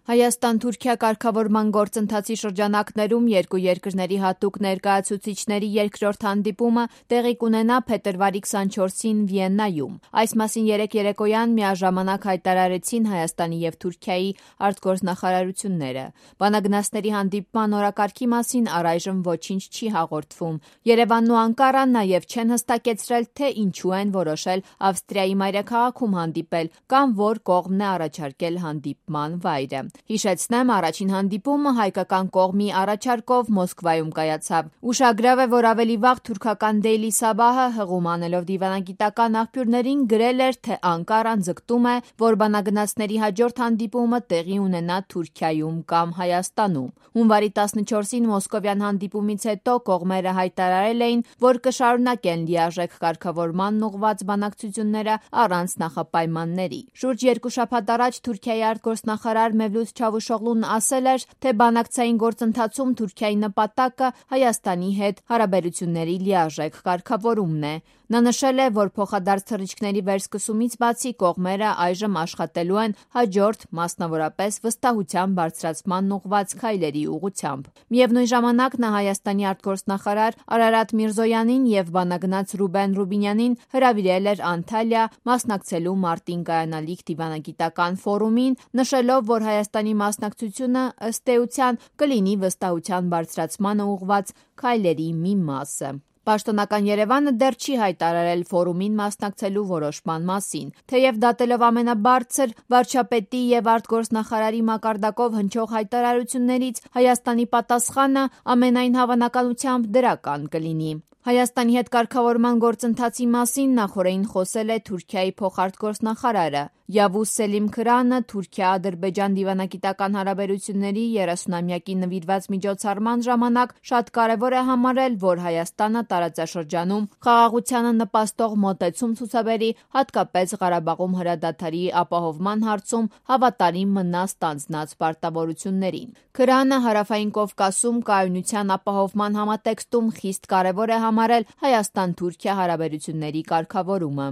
Հայաստան-Թուրքիա կարգավորման գործընթացի շրջանակներում երկու երկրների հատուկ ներկայացուցիչների երկրորդ հանդիպումը տեղի կունենա փետրվարի 24-ին Վիեննայում։ Այս մասին երեկ երեկոյան միաժամանակ հայտարարեցին Հայաստանի և Թուրքիայի արտգործնախարարությունները։ Բանագնացների հանդիպման օրակարգի մասին առայժմ ոչինչ չի հաղորդվում։ Երևանն ու Անկարան նաև չեն հստակեցրել, թե ինչու են որոշել Ավստրիայի մայրաքաղաքում հանդիպել կամ որ կողմն է առաջարկել հանդիպման վայրը։ Հիշեցնեմ, առաջին հանդիպումը հայկական կողմի առաջարկով Մոսկվայում կայացավ։ Ուշագրավ է, որ ավելի վաղ թուրքական Daily Sabah-ը հղում անելով դիվանագիտական աղբյուրներին գրել էր, թե Անկարան ձգտում է, որ բանագնացների հաջորդ հանդիպումը տեղի ունենա Թուրքիայում կամ Հայաստանում։ Հունվարի 14-ին մոսկովյան հանդիպումից հետո կողմերը հայտարարել էին, որ կշարունակեն լիարժեք կարգավորմանն ուղղված բանակցությունները առանց նախապայմանների։ Շուրջ երկու շաբաթ առաջ Թուրքիայի արտգործնախարար Մևլութ Չավուշօղլուն ասել էր, թե բանակցային գործընթացում Թուրքիայի նպատակը Հայաստանի հետ հարաբերությունների լիարժեք կարգավորումն է։ Նա նշել է, որ փոխադարձ թռիչքների վերսկսումից բացի կողմերը այժմ աշխատելու են հաջորդ, մասնավորապես վստահության բարձրացմանն ուղղված քայլերի ուղղությամբ։ Միևնույն ժամանակ նա Հայաստանի արտգործնախարար Արարատ Միրզոյանին և բանագնաց Ռուբեն Ռուբինյանին հրավիրել էր Անտալիա մասնակցելու մարտին կայանալիք դիվանագիտական ֆորումին, նշելով, որ Հայաստանի մասնակցությունը ըստ էության կլինի վստահության բարձրացմանը ուղղված քայլերի մի մասը։ Պաշտոնական Երևանը դեռ չի հայտարարել ֆորումին մասնակցելու որոշման մասին։ Թեև դատելով ամենաբարձր վարչապետի և արտգործնախարարի մակարդակով հնչող հայտարարություններից, Հայաստանի պատասխանը ամենայն հավանականությամբ դրական կլինի։ Հայաստանի հետ կարգավորման գործընթացի մասին նախօրեին խոսել է Թուրքիայի փոխարտգործնախարարը։ Yavuz Selim Kırana Թուրքիա-Ադրբեջան դիվանագիտական հարաբերությունների 30-ամյակի նվիրված միջոցառման ժամանակ շատ կարևոր է համարել, որ Հայաստանը տարածաշրջանում խաղաղությանը նպաստող մոտեցում ցուցաբերի, հատկապես Ղարաբաղում հրադադարի ապահովման հարցում հավատարիմ մնա ստանձնած պարտավորություններին։ Kırana Հարավային Կովկասում կայունության ապահովման համատեքստում խիստ կարևոր է համարել Հայաստան-Թուրքիա հարաբերությունների կարգավորումը։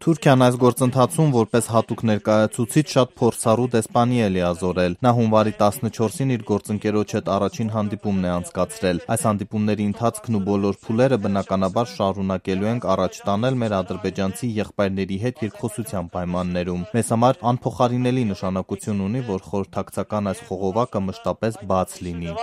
Թուրքիան այս գործընթացում որպես հատուկ ներկայացուցիչ շատ փորձառու դեսպանի է լիազորել։ Նա հունվարի 14-ին իր գործընկերոջ հետ առաջին հանդիպումն է անցկացրել։ Այս հանդիպումների ընթացքն ու բոլոր փուլերը բնականաբար շարունակելու ենք առաջ տանել մեր ադրբեջանցի եղբայրների հետ երկխոսության պայմաններում։ Մեզ համար անփոխարինելի նշանակություն ունի, որ խորհրդակցական այս խողովակը մշտապես բաց լինի։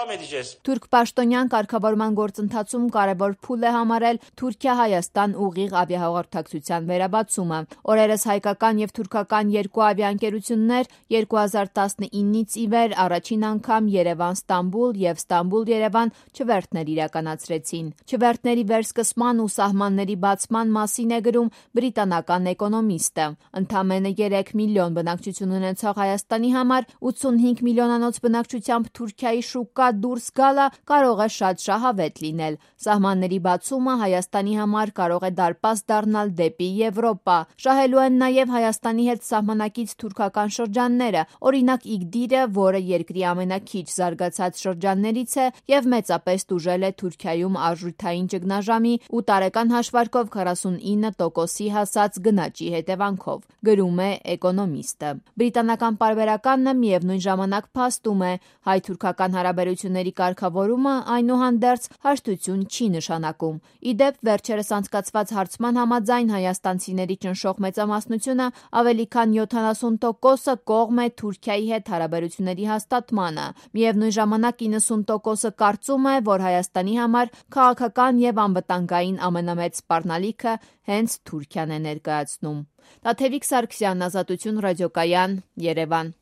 Թուրք պաշտոնյան կարգավորման գործընթացում կարևոր փուլ է համարել Թուրքիա-Հայաստան ուղիղ ավիահաղորդակցության վերաբացումը։ Օրերս հայկական և թուրքական երկու ավիաընկերություններ 2019-ից ի վեր առաջին անգամ Երևան-Ստամբուլ և Ստամբուլ-Երևան չվերթներ իրականացրեցին։ Չվերթների վերսկսման ու սահմանների բացման մասին է գրում բրիտանական Էկոնոմիստը։ Ընդամենը 3 միլիոն բնակչություն ունեցող Հայաստանի համար 85 միլիոնանոց բնակչությամբ Թուրքիայի շուկա դուրս գալը կարող է շատ շահավետ լինել։ Սահմանների բացումը Հայաստանի համար կարող է դարպաս դառնալ դեպի Եվրոպա։ Շահելու են նաև Հայաստանի հետ սահմանակից թուրքական շրջանները, օրինակ Իգդիրը, որը երկրի ամենաքիչ զարգացած շրջաններից է և մեծապես տուժել է Թուրքիայում արժութային ճգնաժամի ու տարեկան հաշվարկով 49%-ի հասած գնաճի հետևանքով, գրում է Էկոնոմիստը։ Բրիտանական պարբերականն միևնույն ժամանակ փաստում է, հայ-թուրքական հարաբերությունների կարգավորումը այնուհանդերձ հաշտություն չի նշանակում։ Ի դեպ, վերջերս անցկացված հարցման համաձայն հայաստանցիների ճնշող մեծամասնությունը ավելի քան 70%-ը կողմ է Թուրքիայի հետ հարաբերությունների հաստատմանը։ Միևնույն ժամանակ 90%-ը կարծում է, որ Հայաստանի համար քաղաքական և անվտանգային ամենամեծ սպառնալիքը հենց Թուրքիան է ներկայացնում։ Տաթևիկ Սարգսյան, Ազատություն ռադիոկայան, Երևան։